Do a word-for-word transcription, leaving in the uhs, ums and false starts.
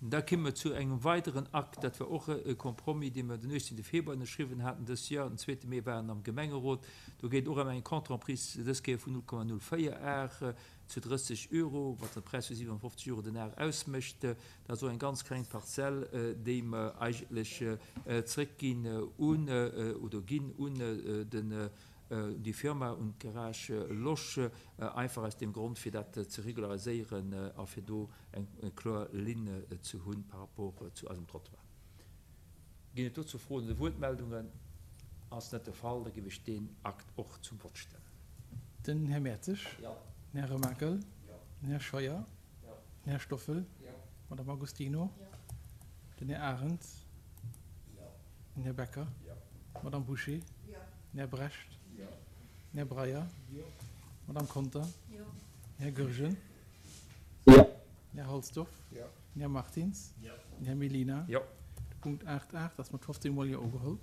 Da komme mer zu engem weideren Akt, dat war och e Compromis, dee mer den uechtzéngte Februar ënnerschriwwen haten dës Joer, den zweete Mee war en am Gemengerot. Do geet och ëm eng Contre-emprise, dës Kéier vun null Komma null véier Ar zu drësseg Euro, wat e Präis vu siwenfofzeg Euro den Ar ausmécht. Dat ass och eng ganz kleng Parzell, déi mer eigentlech zréckginn un, oder ginn un den, un déi Firma, un d'Garage Losch, einfach aus deem Grond, fir dat ze regulariséieren a fir do eng kloer Linn ze hu par rapport zu eisem Trottoir. Ginn et dozou Froen oder Wuertmeldungen? Ass net de Fall, da géif ech deen Akt och zum Vott stellen. Den Här Mertzig. Den Här Remakel. Den Här Scheuer. Den Här Stoffel. D'Madame Agostino. Den Här Arendt. Den Här Becker. D'Madame Bouché. Den Här Brecht. Den Här Breyer. D'Madame Conter. Den Här Goergen. Den Här Halsdorf. Den Här Martins. Den Här Mellina. De Punkt aacht aacht ass mat fofzéng mol Jo ugeholl.